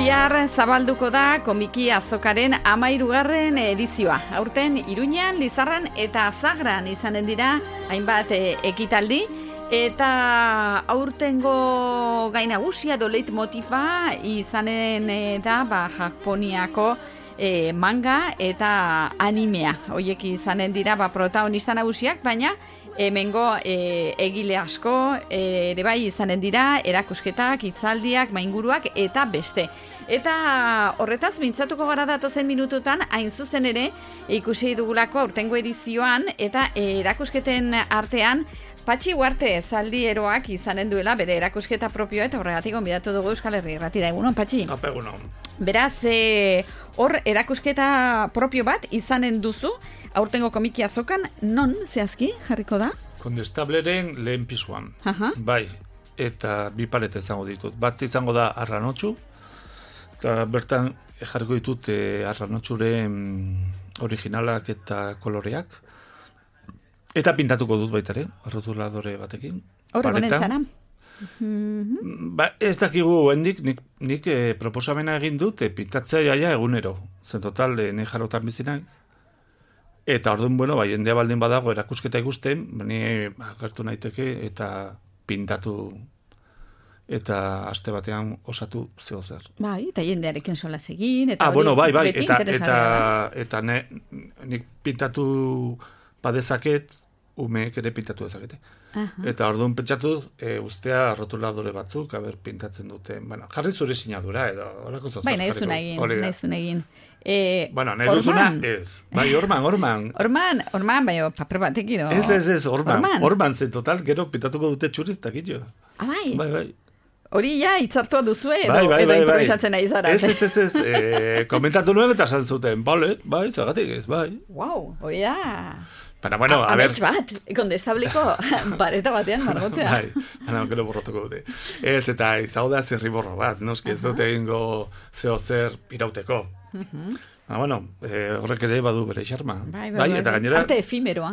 Bihar zabalduko da komiki azokaren 13. edizioa. Aurten Iruñean, Lizarran eta Zagran izanen dira hainbat ekitaldi. Eta aurtengo gai nagusia edo leitmotifa izanen da Japoniako manga eta animea. Hoiek izanen dira protagonista nagusiak, baina hemengo egile asko ere bai izanen dira, erakusketak, hitzaldiak, mainguruak eta beste. Eta horretaz mintzatuko gara datozen minututan, hain zuzen ere ikusi dugulako aurtengo edizioan eta erakusketen artean Patxi Uarte zaldieroak izanen duela bere erakusketa propioa eta horregatik gonbidatu dugu Euskal Herri Irratira. Egunon, Patxi? Egunon. Beraz, hor erakusketa propio bat izanen duzu, aurtengo komiki azokan, non zehazki jarriko da? Kondestableren lehen pisuan. Bai, eta bi palet izango ditut. Bat izango da Arranotxu, eta bertan jarriko ditut Arranotxuren originalak eta koloreak. Eta pintatuko dut baita ere, rotuladore batekin. Horre gonen zara? Ez dakigu hendik, nik proposamena egin dut, pintatzea jaia egunero. Zen total, ne jarotan bizinak. Eta orduan, jendea baldin badago erakusketa ikusten, ni agertu naiteke eta pintatu eta aste batean osatu zehozer. Bai, eta jendearekin solas egin, eta bai, eta nik pintatu badezaket, umeek ere pintatu dezakete. Eta orduan pentsatu ustea rotuladore batzuk, pintatzen dute. Jarri zure sinadura edo horako zozoz. Bai, nahi zuen egin. Nahi duzuna ez. Bai, orman. Orman, bai, paper batekin. Ez, orman zen total, gero pintatuko dute txuriztak ito. Bai. Bai. Hori ja, itzartua duzu edo improvisatzen nahi zara. Ez, komentatu nuen eta esan zuten, bai, zagatik ez, bai. Wow, hori da. Baina, a ver... Amets bat, kondestabliko pareta batean margotzea. Bai, gero borratuko dute. Ez, eta izago da zirriborro bat, noski ez dute egingo zeo zer irauteko. Horrek ere badu bere xarma. Bai, eta gainera... Arte efímeroa.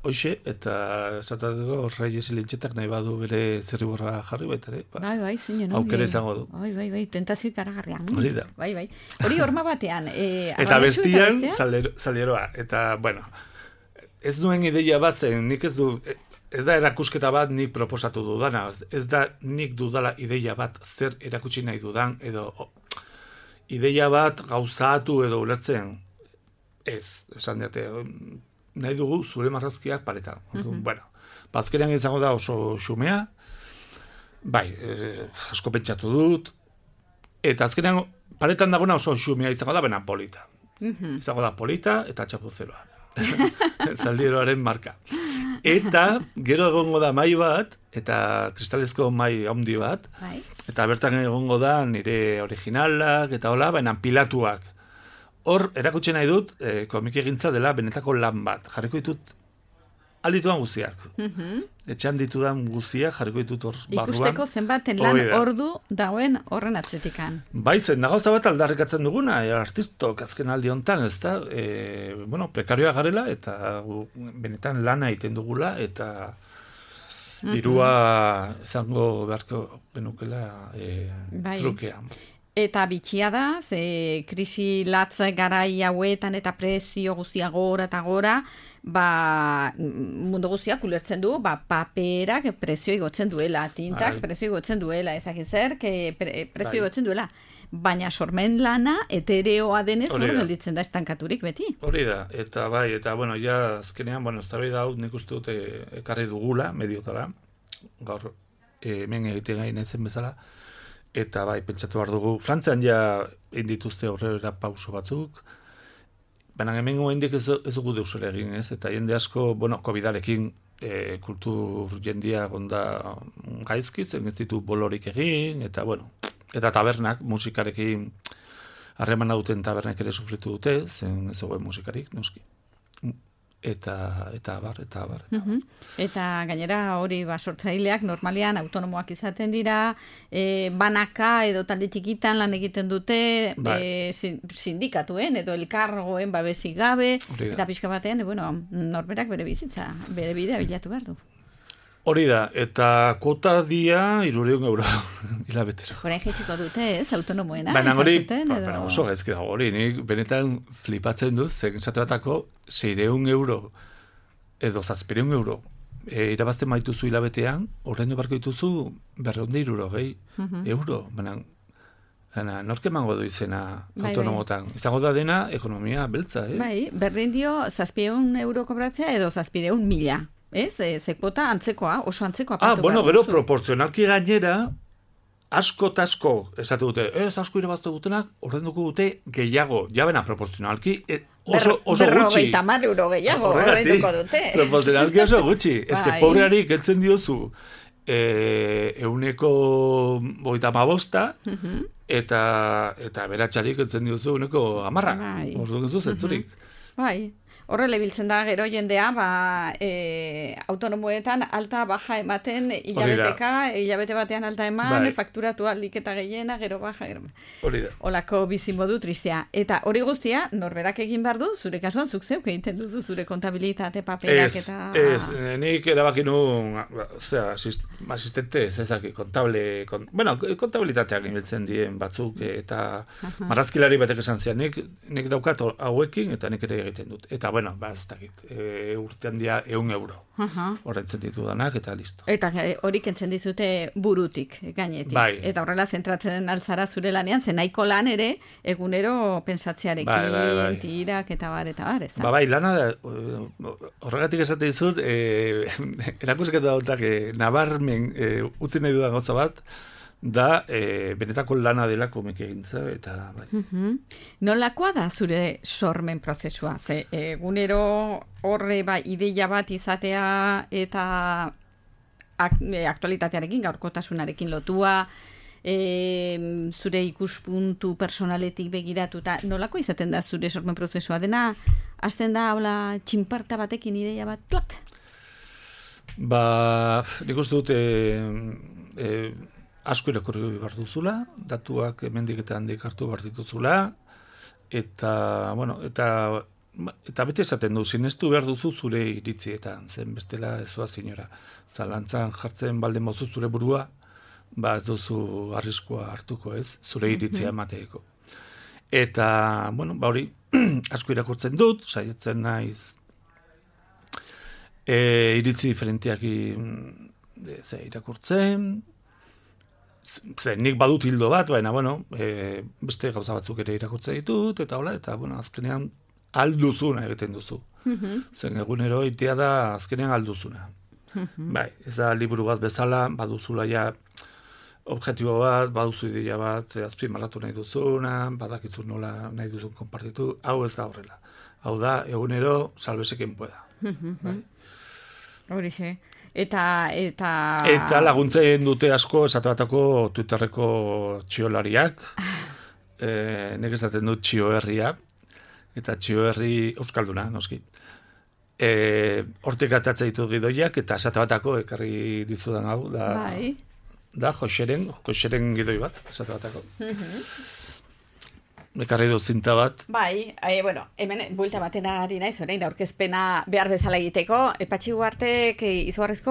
Hoxe, eta esatatuko Reyes Ilintxetak nahi badu bere zirriborra jarri baita ere. Bai, zinen. Aukera izango du. Bai, tentazio ikaragarrian. Hori da. Bai. Hori horma batean. Eta bestian, zaldieroa. Eta, ez duen ideia bat zen, ez da erakusketa bat nik proposatu dudana, ez da nik dudala ideia bat zer erakutsi nahi dudan, edo ideia bat gauzatu edo ulertzen, esan diate, nahi dugu zure marrazkiak pareta. Bazkenean izango da oso xumea, bai, asko pentsatu dut, eta azkenean paretan dagona oso xumea izango da, bena polita. Izango da polita eta txapuzeroa. Zaldieroaren marka. Eta gero egongo da mai bat, eta kristalezko mai handi bat, eta bertan egongo da nire originalak, eta hola, baina pilatuak. Hor, erakutsi nahi dut, komiki egintza dela benetako lan bat. Jarriko ditut aldituan guziak. Etxean ditudan guziak jarriko ditut hor barruan. Ikusteko zenbaten lan ordu dagoen horren atzetikan. Bai, zen da gauza bat aldarrikatzen duguna, artistok azken aldi honetan, ez da, prekarioa garela, eta benetan lana egiten dugula, eta dirua izango beharko genukela trukea. Eta bitxia da, ze krisi latz garai hauetan eta prezio guztia gora eta gora, mundu guztiak ulertzen du, paperak prezio igotzen duela, tintak prezio igotzen duela, ezakit zer, prezio igotzen duela. Baina sormen lana etereoa denez hor gelditzen da estankaturik beti. Hori da, eta ja azkenean, eztabaida hau nik uste dute ekarri dugula, mediotara, gaur hemen egiten gain ezen bezala, eta pentsatu behar dugu, Frantzian ja indituzte aurrera pauso batzuk, baina hemen goendik ez dugu deusera egin, eta jende asko, COVID-arekin kultur jendia gonda gaizki, zen ez ditu bolorik egin, eta tabernak, musikarekin harremana duten tabernak ere sufritu dute, zen ez zegoen musikarik, noski. Eta abar. Eta gainera hori sortzaileak normalean autonomoak izaten dira, banaka edo talde txikitan lan egiten dute, sindikatuen edo elkargoen babesik gabe, eta pixka batean, norberak bere bizitza, bere bidea bilatu behar du. Hori da, eta kuota dia 300 euro hilabetero. Horain jaitsiko dute, ez, autonomoena? Baina hori, oso gaizki dago, hori, nik benetan flipatzen duz, zen esate batako 600 euro edo 700 euro irabazten maituzu hilabetean, orain barko dituzu 260 euro, baina nork emango du izena autonomotan. Izango da dena ekonomia beltza, Bai, berdin dio 700 euro kobratzea edo 700.000. Ez, kuota antzekoa, oso antzekoa. Bueno, gero proportzionalki gainera, asko eta asko, esatu dute, asko irabaztu dutenak, horren dugu dute gehiago, jabena proportzionalki, oso gutxi. 50 euro gehiago, horren dugu dute. Proportzionalki oso gutxi. Ez que pobreari geltzen diozu, 125 eta beratxarik geltzen diozu 110. Orduan duzu zentzurik. Bai. Horrela biltzen da gero jendea, autonomoetan alta baja ematen hilabete batean alta eman, fakturatu aldik eta gehiena, gero baja. Hori da. Olako bizimodu tristea. Eta hori guztia, norberak egin behar du, zure kasuan zuk zeuk egiten duzu, zure kontabilitate paperak eta... Ez, nik erabaki nuen, asistente, zezaki, kontabilitateak inbiltzen dien batzuk, eta marrazkilari batek esan zian, nik daukat hauekin, eta nik ere egiten dut. Eta bueno, ez dakit, urtean dia 100 euro. Horretzen ditu danak, eta listo. Eta hori kentzen dizute burutik, gainetik. Bai. Eta horrela zentratzen alzara zure lanean, zen nahiko lan ere, egunero pentsatzearekin, tirak, eta bar, ez da? Bai, lana da, horregatik esate dizut, erakusketa dautak, nabarmen utzi nahi dudan gauza bat, da benetako lana dela komik egintza, eta bai. Nolakoa da zure sormen prozesua? Ze egunero horre ideia bat izatea eta aktualitatearekin, gaurkotasunarekin lotua, zure ikuspuntu personaletik begiratuta, nolako izaten da zure sormen prozesua? Dena, hasten da, hola, txinparta batekin ideia bat, klak? Nik uste dut, asko irakurri behar duzula, datuak hemendik eta handik hartu behar dituzula, eta bete esaten du, sinestu behar duzu zure iritzietan, zen bestela ez zoaz inora. Zalantzan jartzen baldin mozu zure burua, ez duzu arriskua hartuko ez, zure iritzia emateeko. Eta, hori, asko irakurtzen dut, saiatzen naiz, iritzi diferentiak irakurtzen, nik badut hildo bat, baina, beste gauza batzuk ere irakurtzen ditut, eta hola, eta, azkenean alduzuna egiten duzu. Zen egunero itea da azkenean alduzuna. Bai, ez da liburu bat bezala, baduzula ja objektibo bat, baduzu ideia bat, azpimarratu nahi duzuna, badakizu nola nahi duzun konpartitu, hau ez da horrela. Hau da, egunero salbesekin pueda. Bai. Horixe. Eta laguntzen dute asko esatuatako Twitterreko txiolariak, nek esaten dut txioherria, eta txioherri euskalduna, noski. Hortik atatzen ditu gidoiak, eta esatuatako ekarri dizudan hau, da Joxeren gidoi bat, esatuatako. Ekarri du zinta bat. Bai, hemen buelta batena ari naiz, orain aurkezpena behar bezala egiteko, Patxi Ugartek izugarrizko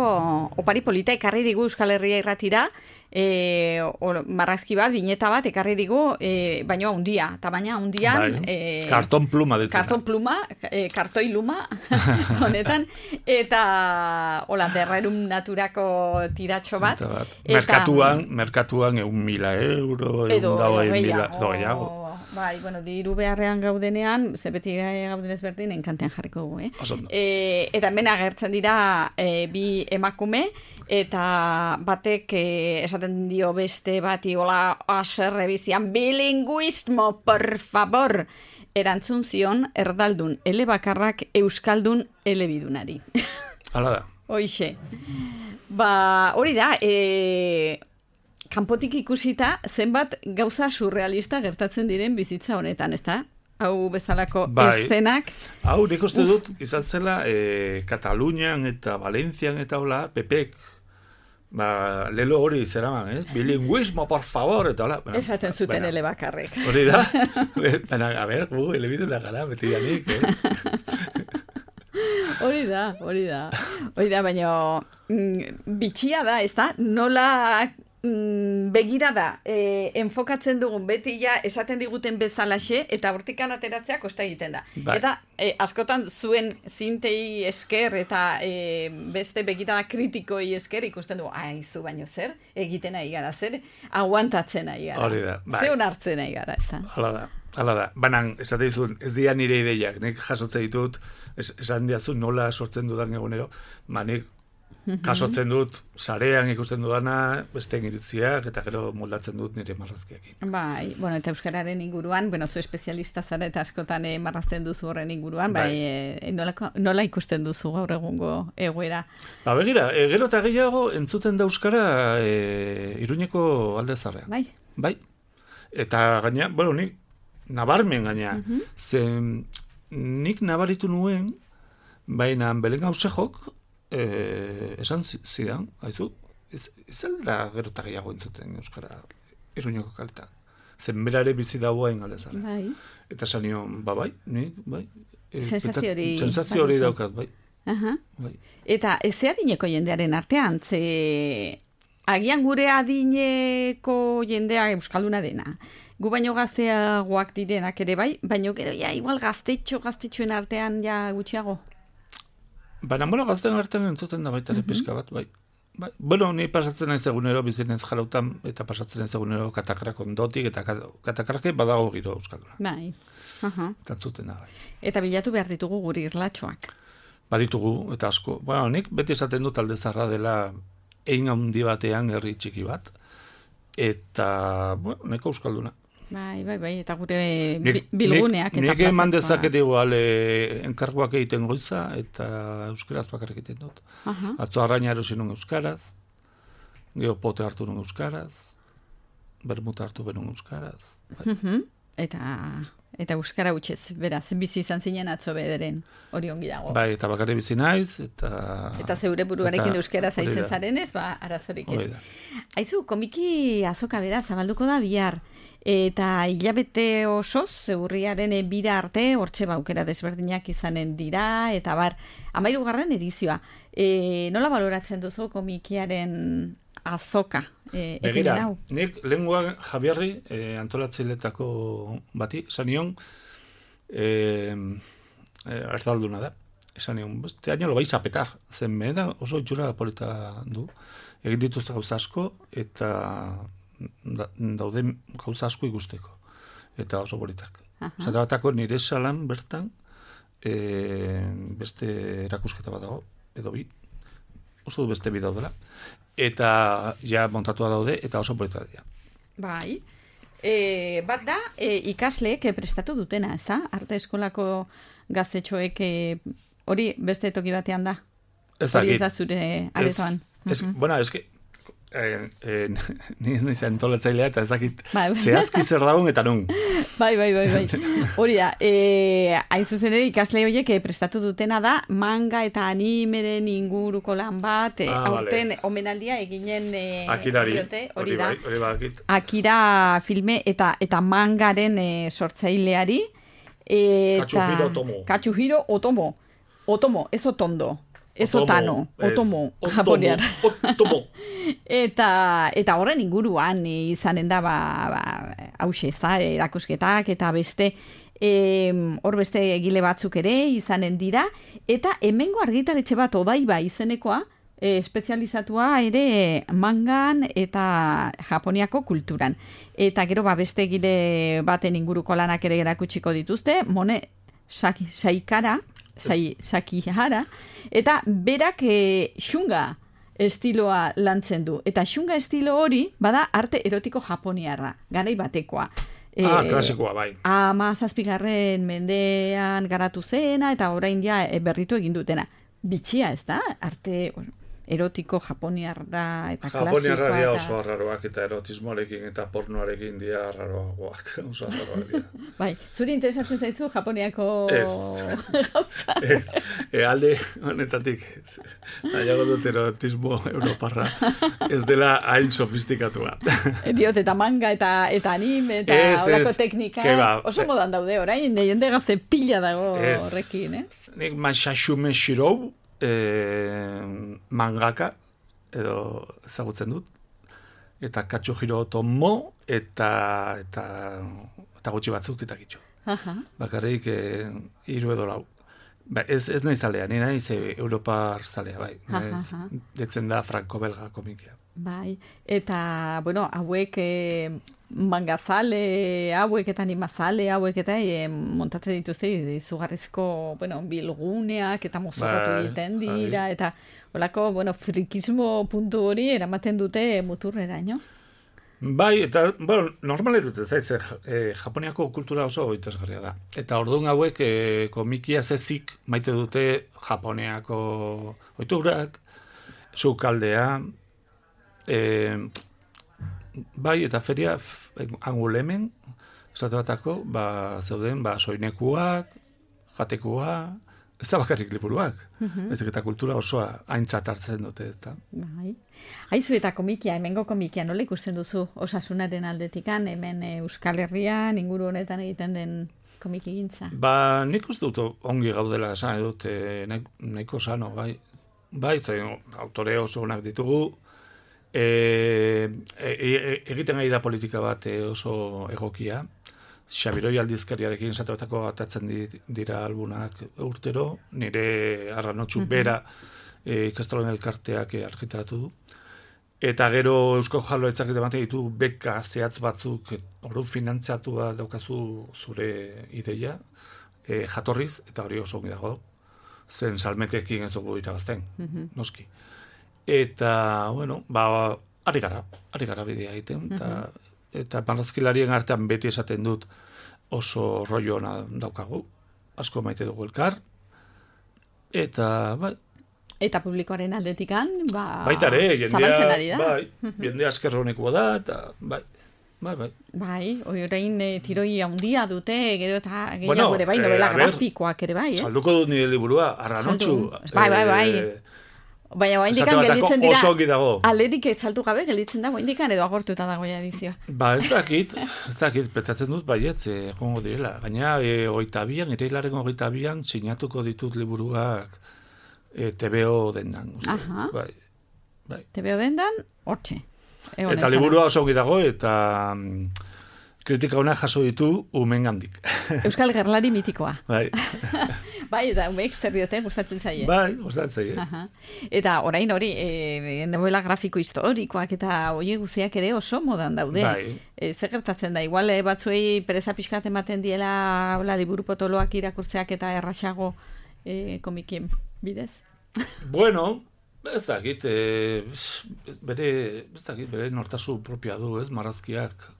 opari polita ekarri digu Euskal Herria Irratira, marrazki bat, bineta bat ekarri digu, baina handia, tamaina handian. Karton pluma ditzen. Karton pluma, kartoi luma, honetan, eta hola, derrerum naturako tiratxo bat. Merkatuan 1.000 euro, edo gehiago. Bai, diru beharrean gaudenean, ze beti gaudenez berdin, enkantean jarriko dugu, Eta hemen agertzen dira bi emakume, eta batek esaten dio beste bati, hola, aserre bizian, bilinguismo, por favor! Erantzun zion, erdaldun elebakarrak euskaldun elebidunari. Hala da. Hoixe. Hori da, kanpotik ikusita, zenbat gauza surrealista gertatzen diren bizitza honetan, ezta? Hau bezalako eszenak. Hau, nik uste dut, izan zela, Katalunian eta Valentzian eta hola, Pepek, lelo hori zeraman, bilinguismo, por favor, eta hola. Esaten zuten elebakarrek. Hori da? A ber, elebiduna gara, beti janik, Hori da, baina bitxia da, ez da? Nola begirada enfokatzen dugun beti ja esaten diguten bezalaxe eta hortikan ateratzea kosta egiten da. Bai. Eta askotan zuen zintei esker eta beste begirada kritikoi esker ikusten dugu, aizu baino zer, egiten nahi gara, zer, aguantatzen nahi gara. Hori da, bai. Ze onartzen nahi gara, ez da? Hala da. Banan, esate dizun, ez dira nire ideiak, nik jasotze ditut, esan diazu nola sortzen dudan egunero, nik jasotzen dut, sarean ikusten dudana, beste iritziak, eta gero moldatzen dut nire marrazkiak. Bai, bueno, eta euskararen inguruan, zu espezialista zara eta askotan marrazten duzu horren inguruan, nola ikusten duzu gaur egungo egoera? Begira, gero eta gehiago entzuten da euskara Iruñeko alde zarrean. Bai. Eta gaina, nik nabarmen gaina, nik nabaritu nuen, baina Belen Gauzejok, esan zidan, haizu, ez alda gero eta gehiago entzuten euskara Iruñeko kaletan. Zenbera ere bizi dagoain aldezara. Bai. Eta sanion, bai. Sensazio hori daukat, bai. Bai. Eta ez adineko jendearen artean, agian gure adineko jendea euskalduna dena. Gu baino gazteagoak direnak ere bai, baino gero igual gaztetxoen artean gutxiago. Baina, gazten artean entzuten da baita ere pizka bat, bai. Ni pasatzen naiz egunero, bizinez jarautan, eta pasatzen naiz egunero katakrak ondotik, eta katakrake badago giro euskalduna. Bai. Eta entzuten da, bai. Eta bilatu behar ditugu guri irlatxoak. Baditugu, eta asko. Nik beti esaten dut alde zarra dela egin handi batean herri txiki bat, eta, neko euskalduna. Bai, eta gure bilguneak. Nik eman dezaket igual enkarguak egiten goiza, eta euskaraz bakarrik egiten dut. Atzo arraina erosi nun euskaraz, geopote hartu nun euskaraz, bermuta hartu genuen euskaraz. Eta euskara utxez, beraz, bizi izan zinen atzo bederen, hori ongi dago. Bai, eta bakarri bizi naiz, eta zeure buruarekin euskara zaitzen zarenez, arazorik ez. Aizu, komiki azoka bera zabalduko da bihar, eta hilabete osoz, zeurriaren bira arte, hortxe aukera desberdinak izanen dira, eta 13. edizioa. Nola baloratzen duzu komikiaren azoka? Begira, nik lehenguan Javiarri antolatzailetako bati, sanion, erdalduna da. Sanion, este año lo vais a petar. Zen da oso itxura polita du. Egin dituzte gauza asko, eta daude gauza asko ikusteko. Eta oso politak. Zata batako nire salan bertan, beste erakusketa bat dago, edo bi. Oso du beste bi daudela. Eta montatua daude, eta oso polita dira. Bai. Bat da, ikasleek prestatu dutena, ez da? Arte eskolako gaztetxoek hori beste toki batean da? Hori ez da zure aretoan. Bueno, es que ni antolatzailea eta ezakit zehazki zer dagoen eta nun. Bai. Hori da, hain zuzen ere ikasle horiek prestatu dutena da manga eta animeren inguruko lan bat, aurten omenaldia eginen diote, hori da. Akira filme eta mangaren sortzaileari. Katsuhiro Otomo. Otomo, ez Otondo. Ez Otano, Otomo, japonear. Eta horren inguruan izanen da hause, erakusketak eta beste hor beste egile batzuk ere izanen dira, eta hemengo argitaletxe bat Odaiba izenekoa espezializatua ere mangan eta Japoniako kulturan. Eta gero beste egile baten inguruko lanak ere erakutsiko dituzte, Mone Sakihara, eta berak xunga estiloa lantzen du. Eta xunga estilo hori bada arte erotiko japoniarra, garai batekoa. Klasikoa, bai. 17. mendean garatu zena, eta orain berritu egin dutena. Bitxia, ez da? Arte erotiko japoniarra eta klasikoa. Japoniarra dira oso arraroak eta erotismoarekin eta pornoarekin dira arraroagoak. Oso arraroak dira. Bai, zuri interesatzen zaizu Japoniako gauza? Ez, alde honetatik, nahiago dut erotismo europarra, ez dela hain sofistikatua. Diot, eta manga eta anime eta horako teknika, oso modan daude orain, jende gazte pila dago horrekin, Nik Masashume Shirou, mangaka edo ezagutzen dut eta Katsuhiro Otomo eta gutxi batzuk eta gitxo. Bakarrik 3 edo 4. Ez nahi zalea, ni naiz Europar zalea, bai. Detzen da franko-belga komikia. Bai, eta, bueno, hauek mangazale, hauek eta animazale, hauek eta montatzen dituzte izugarrizko, bueno, bilguneak eta mozorrotu egiten dira, eta holako, bueno, frikismo puntu hori eramaten dute muturrera, no? Bai, eta, bueno, normal erute, zaiz, Japoniako kultura oso interesgarria da. Eta orduan hauek komikia zezik maite dute Japoniako ohiturak, sukaldea, bai, eta feria angulemen, esate batako, zeuden, soinekuak, jatekuak, ez da bakarrik liburuak. Ezik eta kultura osoa aintzat hartzen dute, eta. Bai. Aizu eta komikia, hemengo komikia, nola ikusten duzu osasunaren aldetikan, hemen Euskal Herrian, inguru honetan egiten den komiki gintza? Nik uste dut ongi gaudela esan edut, nahiko sano, bai. Bai, zain, autore oso onak ditugu, egiten ari da politika bat oso egokia. Xabiroi aldizkariarekin esatuetako atatzen dira albunak urtero, nire arranotxu bera ikastolen elkarteak argitaratu du. Eta gero Eusko Jaurlaritzak ematen ditu beka zehatz batzuk, ordu finantziatua daukazu zure ideia, jatorriz, eta hori oso ongi dago. Zen salmetekin ez dugu irabazten, noski. Eta, bueno, ari gara bidea egiten, eta marrazkilarien artean beti esaten dut oso rollo ona daukagu, asko maite dugu elkar, eta, bai. Eta publikoaren aldetikan, baitare, zabaltzen ari da. Bai, jendea askerronekoa da, eta, bai. Bai, orain tiroi handia dute, gero eta gehiago ere bai, novela grafikoak ere bai, ez? Salduko dut nire liburua, arranotxu. Bai. Baina oaindikan gelditzen dira, alderik saltu gabe gelditzen da, oaindikan edo agortuta dago edizioa. Ez dakit, pentsatzen dut baietz, egongo direla. Gaina, 22an, irailaren 22an, sinatuko ditut liburuak TVO dendan. Bai. TVO dendan, hortxe. Eta liburua oso ongi dago, eta kritika ona jaso ditu umengandik. Euskal gerlari mitikoa. Bai. Bai, eta umeek zer diote, gustatzen zaie. Bai, gustatzen zaie. Eta orain hori, novela grafiko historikoak eta hori guziak ere oso modan daude. Bai. Zer gertatzen da, igual batzuei pereza pixkat ematen diela liburu potoloak irakurtzeak eta erraxago komikien bidez? Bueno, ez dakit, bere nortasun propia du, ez, marrazkiak.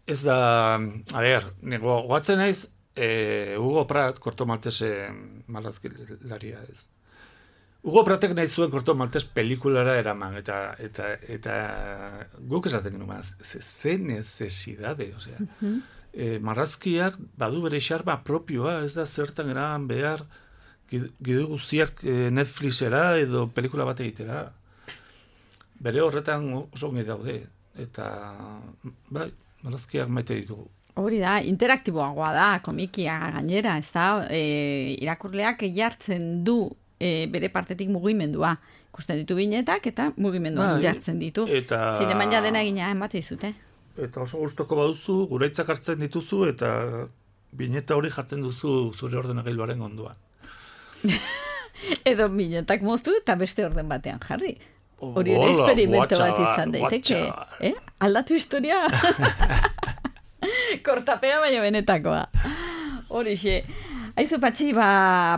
Ez da, a ber, nego goatzen naiz, Hugo Pratt, Korto Maltese marrazkilaria ez. Hugo Prattek nahi zuen Korto Maltes pelikulara eraman, eta guk esaten genuen, ze necesidade, osea. Marrazkiak badu bere xarma propioa, ez da zertan eraman behar, gidu guztiak Netflixera edo pelikula bat egitera. Bere horretan oso ongi daude, eta bai, marrazkiak maite ditugu. Hori da, interaktiboagoa da, komikia gainera, ez da, irakurleak jartzen du bere partetik mugimendua. Ikusten ditu binetak eta mugimendua jartzen ditu. Zineman ja dena egina emate dizute. Eta oso gustoko baduzu, guraitzak hartzen dituzu, eta bineta hori jartzen duzu zure ordenagailuaren ondoan. Edo binetak moztu eta beste orden batean jarri. Hori ere experimento bat izan daiteke. Aldatu historia. Kortapea baina benetakoa. Horixe. Aizu Patxi,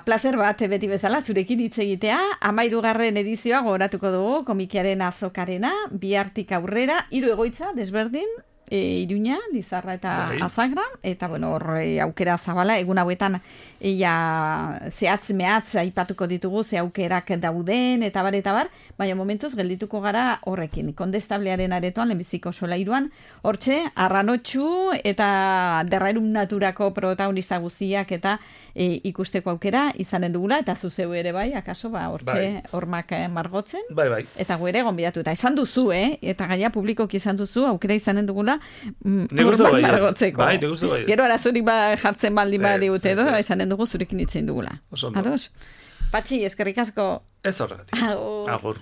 plazer bat beti bezala zurekin hitz egitea. 13. edizioa gogoratuko dugu komikiaren azokarena, bihartik aurrera, 3 egoitza desberdin, Iruña, Lizarra eta Azagra, eta bueno, horre aukera zabala, egun hauetan zehatz mehatz aipatuko ditugu, ze aukerak dauden, eta bar, baina momentuz geldituko gara horrekin. Kondestablearen aretoan, lehenbiziko solairuan, hortxe, arranotxu eta derrairun naturako protagonista guztiak eta ikusteko aukera izanen dugula, eta zuzeu ere bai, akaso, hortxe, hormak margotzen. Bai. Eta gu ere gonbidatu, eta esan duzu, eta gaia publikoki esan duzu, aukera izanen dugula, hormak margotzeko. Bai, negustu bai. Gero arazorik jartzen baldin badiute edo, esanen dugu zurekin itzen dugula. Oso ondo. Ados? Patxi, eskerrik asko. Ez horregatik. Agur.